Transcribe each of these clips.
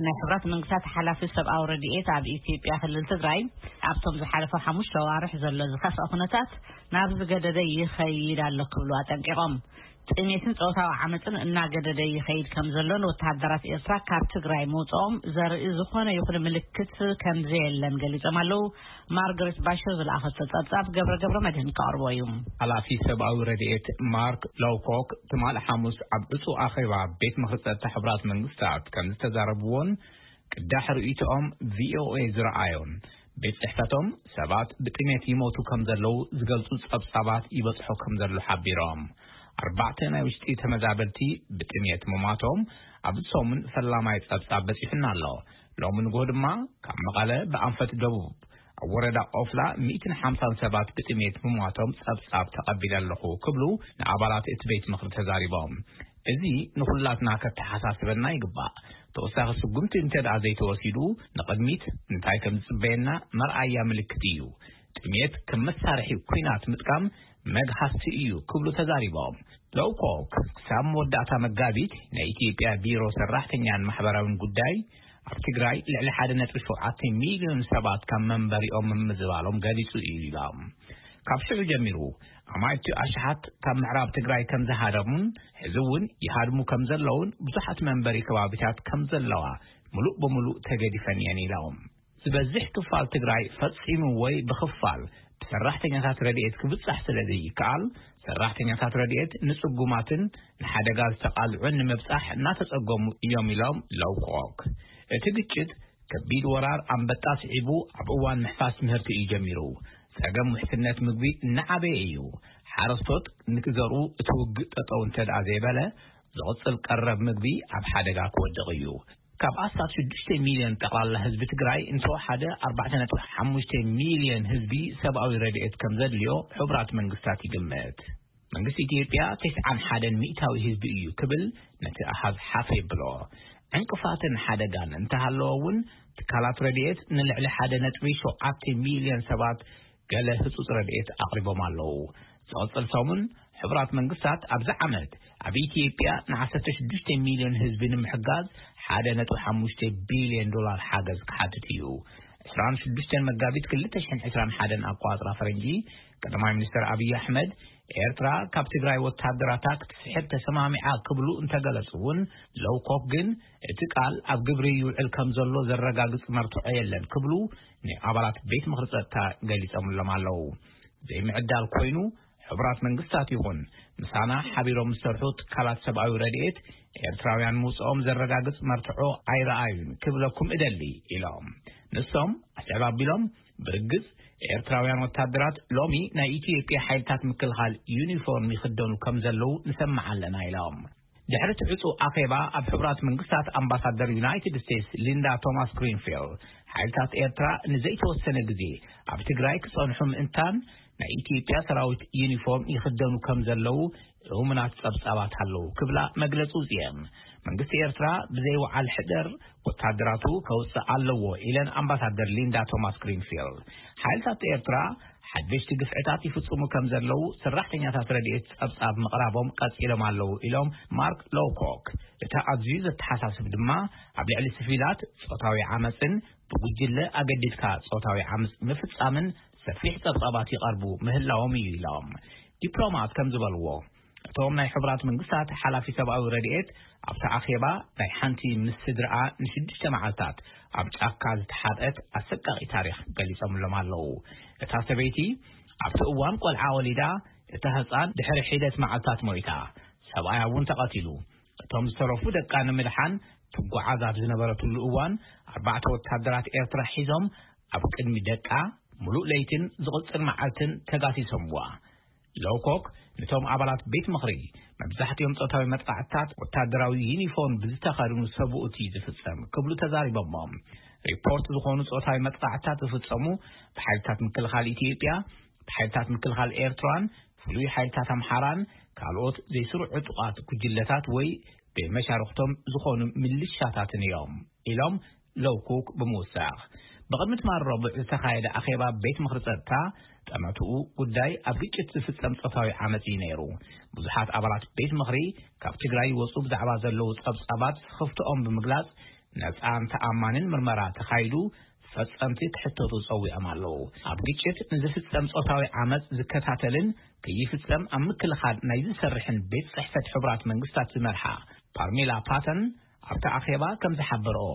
ናይ ሕብራት መንግስታት ሓላፊ ሰብኣዊ ረድኤት ኣብ ኢትዮጵያ ክልል ትግራይ ኣብቶም ዝሓለፈ ሓሙሽተ ኣዋርሕ ዘሎ ዝኸፍአ ኩነታት ናብ ዝገደደ ይኸይድ ኣሎ ክብሉ ኣጠንቂቖም። ጥሜትን ጾታዊ ዓመፅን እናገደደ ይኸይድ ከም ዘሎን ወተሃደራት ኤርትራ ካብ ትግራይ ምውፅኦም ዘርኢ ዝኾነ ይኹን ምልክት ከም ዘየለን ገሊጾም ኣለዉ። ማርገሬት ባሽር ዝለኣኸቶ ጸብጻብ ገብረ ገብረ መድህን ክቐርቦ እዩ። ሓላፊ ሰብኣዊ ረድኤት ማርክ ሎውኮክ ትማሊ ሓሙስ ኣብ ዕጹ ኣኼባ ቤት ምኽሪ ጸጥታ ሕቡራት መንግስታት ከም ዝተዛረብዎን ቅዳሕ ርእይቶኦም ቪኦኤ ዝረኣዮን ቤት ጽሕፈቶም ሰባት ብጥሜት ይሞቱ ከም ዘለዉ ዝገልጹ ጸብጻባት ይበጽሖ ከም ዘሎ ሓቢሮም። ኣርባዕተ ናይ ውሽጢ ተመዛበልቲ ብጥሜት ምሟቶም ኣብዚ ሰሙን ፈላማይ ጸብጻብ በጺሑና ኣሎ። ሎሚ ንግሆ ድማ ካብ መቐለ ብኣንፈት ደቡብ ኣብ ወረዳ ኦፍላ ሚእትን ሓምሳን ሰባት ብጥሜት ምሟቶም ጸብጻብ ተቐቢለ ኣለኹ ክብሉ ንኣባላት እቲ ቤት ምኽሪ ተዛሪቦም። እዚ ንኹላትና ከተሓሳስበና ይግባእ። ተወሳኺ ስጉምቲ እንተ ደኣ ዘይተወሲዱ ንቕድሚት እንታይ ከም ዝጽበየና መርኣያ ምልክት እዩ። ጥሜት ከም መሳርሒ ኲናት ምጥቃም መግሃስቲ እዩ ክብሉ ተዛሪቦም። ሎውኮክ ክሳብ መወዳእታ መጋቢት ናይ ኢትዮጵያ ቢሮ ሰራሕተኛን ማሕበራዊን ጉዳይ ኣብ ትግራይ ልዕሊ ሓደ ነጥቢ ሸውዓተ ሚልዮን ሰባት ካብ መንበሪኦም ምምዝባሎም ገሊጹ እዩ ኢሎም። ካብ ሽዑ ጀሚሩ ኣማኢቱ ኣሽሓት ካብ ምዕራብ ትግራይ ከም ዝሃደሙን ሕዚ እውን ይሃድሙ ከም ዘለውን ብዙሓት መንበሪ ከባቢታት ከም ዘለዋ ምሉእ ብምሉእ ተገዲፈን እየን ኢሎም። ዝበዝሕ ክፋል ትግራይ ፈጺሙ ወይ ብኽፋል ብሰራሕተኛታት ረድኤት ክብጻሕ ስለ ዘይከኣል፣ ሰራሕተኛታት ረድኤት ንጽጉማትን ንሓደጋ ዝተቓልዑን ንምብጻሕ እናተጸገሙ እዮም ኢሎም ሎውኮክ። እቲ ግጭት ከቢድ ወራር ኣንበጣ ስዒቡ ኣብ እዋን ምሕፋስ ምህርቲ እዩ ጀሚሩ። ጸገም ውሕስነት ምግቢ እናዓበየ እዩ። ሓረስቶት ንክዘርኡ እቲ ውግእ ጠጠው እንተ ደኣ ዘይበለ፣ ዝቕጽል ቀረብ ምግቢ ኣብ ሓደጋ ክወድቕ እዩ። ካብ ኣስታት ሽዱሽተ ሚልዮን ጠቕላላ ህዝቢ ትግራይ እንተወሓደ ኣርባዕተ ነጥቢ ሓሙሽተ ሚልዮን ህዝቢ ሰብኣዊ ረድኤት ከም ዘድልዮ ሕቡራት መንግስታት ይግምት። መንግስቲ ኢትዮጵያ ተስዓን ሓደን ሚእታዊ ህዝቢ እዩ ክብል ነቲ ኣሃዝ ሓፍ የብሎ። ዕንቅፋትን ሓደጋን እንተሃለወ እውን ትካላት ረድኤት ንልዕሊ ሓደ ነጥቢ ሸውዓተ ሚልዮን ሰባት ገለ ህጹጽ ረድኤት ኣቕሪቦም ኣለዉ። ዝቕጽል ሰሙን ሕቡራት መንግስታት ኣብዚ ዓመት ኣብ ኢትዮጵያ ን ዓሰርተ ሽዱሽተ ሚልዮን ህዝቢ ንምሕጋዝ ሓደ ነጥቢ ሓሙሽተ ቢልዮን ዶላር ሓገዝ ክሓትት እዩ። ዕስራን ሽዱሽተን መጋቢት ክልተ ሽሕን ዕስራን ሓደን ኣቆጻጽራ ፈረንጂ፣ ቀዳማይ ሚኒስትር ኣብይ ኣሕመድ ኤርትራ ካብ ትግራይ ወታደራታ ክትስሕብ ተሰማሚዓ ክብሉ እንተገለጹ እውን፣ ሎውኮክ ግን እቲ ቃል ኣብ ግብሪ ይውዕል ከም ዘሎ ዘረጋግጽ መርትዖ የለን ክብሉ ንኣባላት ቤት ምኽሪ ጸጥታ ገሊጾምሎም ኣለዉ። ዘይምዕዳል ኮይኑ፣ ሕቡራት መንግስታት ይኹን ምሳና ሓቢሮም ዝሰርሑ ትካላት ሰብኣዊ ረድኤት ኤርትራውያን ምውጽኦም ዘረጋግጽ መርትዖ ኣይረኣዩን ክብለኩም እደሊ ኢሎም። ንሶም ኣስዕብ ኣቢሎም፣ ብርግጽ ኤርትራውያን ወታደራት ሎሚ ናይ ኢትዮጵያ ሓይልታት ምክልኻል ዩኒፎርም ይኽደኑ ከም ዘለዉ ንሰምዕ ኣለና ኢሎም። ድሕሪ እቲ ዕጹ ኣኼባ ኣብ ሕቡራት መንግስታት ኣምባሳደር ዩናይትድ ስቴትስ ሊንዳ ቶማስ ግሪንፊልድ፣ ሓይልታት ኤርትራ ንዘይተወሰነ ግዜ ኣብ ትግራይ ክጸንሑ ምእንታን ናይ ኢትዮጵያ ሰራዊት ዩኒፎርም ይኽደኑ ከም ዘለዉ እሙናት ጸብጻባት ኣለዉ ክብላ መግለጺ ውጽየን። መንግስቲ ኤርትራ ብዘይ ወዓል ሕደር ወታደራቱ ከውጽእ ኣለዎ ኢለን ኣምባሳደር ሊንዳ ቶማስ ግሪንፊልድ። ሓይልታት ኤርትራ ሓደሽቲ ግፍዕታት ይፍጽሙ ከም ዘለዉ ሰራሕተኛታት ረድኤት ጸብጻብ ምቕራቦም ቀጺሎም ኣለዉ ኢሎም ማርክ ሎውኮክ። እቲ ኣዝዩ ዘተሓሳስብ ድማ ኣብ ልዕሊ ስቪላት ጾታዊ ዓመጽን ብጉጅለ ኣገዲድካ ጾታዊ ዓመጽ ምፍጻምን ሰፊሕ ጸብጻባት ይቐርቡ ምህላዎም እዩ ኢሎም። ዲፕሎማት ከም ዝበልዎ፣ እቶም ናይ ሕቡራት መንግስታት ሓላፊ ሰብኣዊ ረድኤት ኣብቲ ኣኼባ ናይ ሓንቲ ምስ ስድራኣ ንሽዱሽተ መዓልታት ኣብ ጫካ ዝተሓብአት ኣሰቃቒ ታሪኽ ገሊጾምሎም ኣለዉ። እታ ሰበይቲ ኣብቲ እዋን ቆልዓ ወሊዳ፣ እታ ህጻን ድሕሪ ሒደት መዓልታት ሞይታ። ሰብኣያ እውን ተቐቲሉ። እቶም ዝተረፉ ደቃ ንምድሓን ትጓዓዝ ኣብ ዝነበረትሉ እዋን፣ ኣርባዕተ ወታደራት ኤርትራ ሒዞም ኣብ ቅድሚ ደቃ ምሉእ ለይትን ዝቕጽል መዓልትን ተጋሲሶምዋ። ሎውኮክ ነቶም ኣባላት ቤት ምኽሪ፣ መብዛሕትኦም ጾታዊ መጥቃዕትታት ወታደራዊ ዩኒፎርም ብዝተኸድኑ ሰብኡት እዩ ዝፍጸም ክብሉ ተዛሪቦሞም። ሪፖርት ዝኾኑ ጾታዊ መጥቃዕትታት ዝፍጸሙ ብሓይልታት ምክልኻል ኢትዮጵያ፣ ብሓይልታት ምክልኻል ኤርትራን ፍሉይ ሓይልታት ኣምሓራን ካልኦት ዘይስሩዕ ዕጡቓት ጉጅለታት ወይ ብመሻርኽቶም ዝኾኑ ምልሻታትን እዮም ኢሎም ሎውኮክ ብምውሳኽ። ብቕድሚ ትማሊ ረቡዕ ዝተኻየደ ኣኼባ ቤት ምኽሪ ጸጥታ፣ ጠመትኡ ጉዳይ ኣብ ግጭት ዝፍጸም ጾታዊ ዓመጽ እዩ ነይሩ። ብዙሓት ኣባላት ቤት ምኽሪ ካብ ትግራይ ይወጹ ብዛዕባ ዘለዉ ጸብጻባት ስኽፍትኦም ብምግላጽ፣ ነጻን ተኣማንን ምርመራ ተኻይዱ ፈጸምቲ ክሕተቱ ጸዊዖም ኣለዉ። ኣብ ግጭት ንዝፍጸም ጾታዊ ዓመጽ ዝከታተልን ከይፍጸም ኣብ ምክልኻል ናይ ዝሰርሕን ቤት ጽሕፈት ሕቡራት መንግስታት ዝመርሓ ፓርሜላ ፓተን ኣብቲ ኣኼባ ከም ዝሓበረኦ፣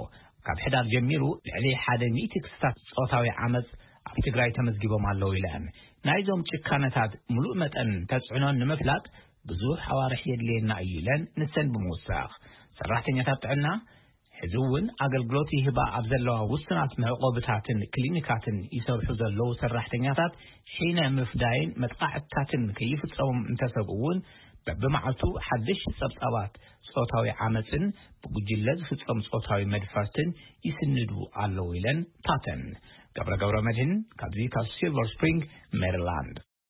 ካብ ሕዳር ጀሚሩ ልዕሊ ሓደ ሚእቲ ክስታት ጾታዊ ዓመጽ ኣብ ትግራይ ተመዝጊቦም ኣለዉ ኢለን። ናይዞም ጭካነታት ምሉእ መጠን ተጽዕኖን ንምፍላጥ ብዙሕ ኣዋርሕ የድልየና እዩ ኢለን። ንሰን ብምውሳኽ፣ ሰራሕተኛታት ጥዕና ሕዚ እውን ኣገልግሎት ይህባ ኣብ ዘለዋ ውሱናት መዕቆብታትን ክሊኒካትን ይሰርሑ ዘለዉ ሰራሕተኛታት ሒነ ምፍዳይን መጥቃዕትታትን ከይፍጸሞም እንተሰብኡ እውን፣ በብመዓልቱ ሓደሽቲ ጸብጻባት ጾታዊ ዓመጽን ብጉጅለ ዝፍጸም ጾታዊ መድፈርትን ይስንዱ ኣለዉ ኢለን ፓተን። ገብረ ገብረ መድህን ካብዚ ካብ ሲልቨር ስፕሪንግ ሜሪላንድ።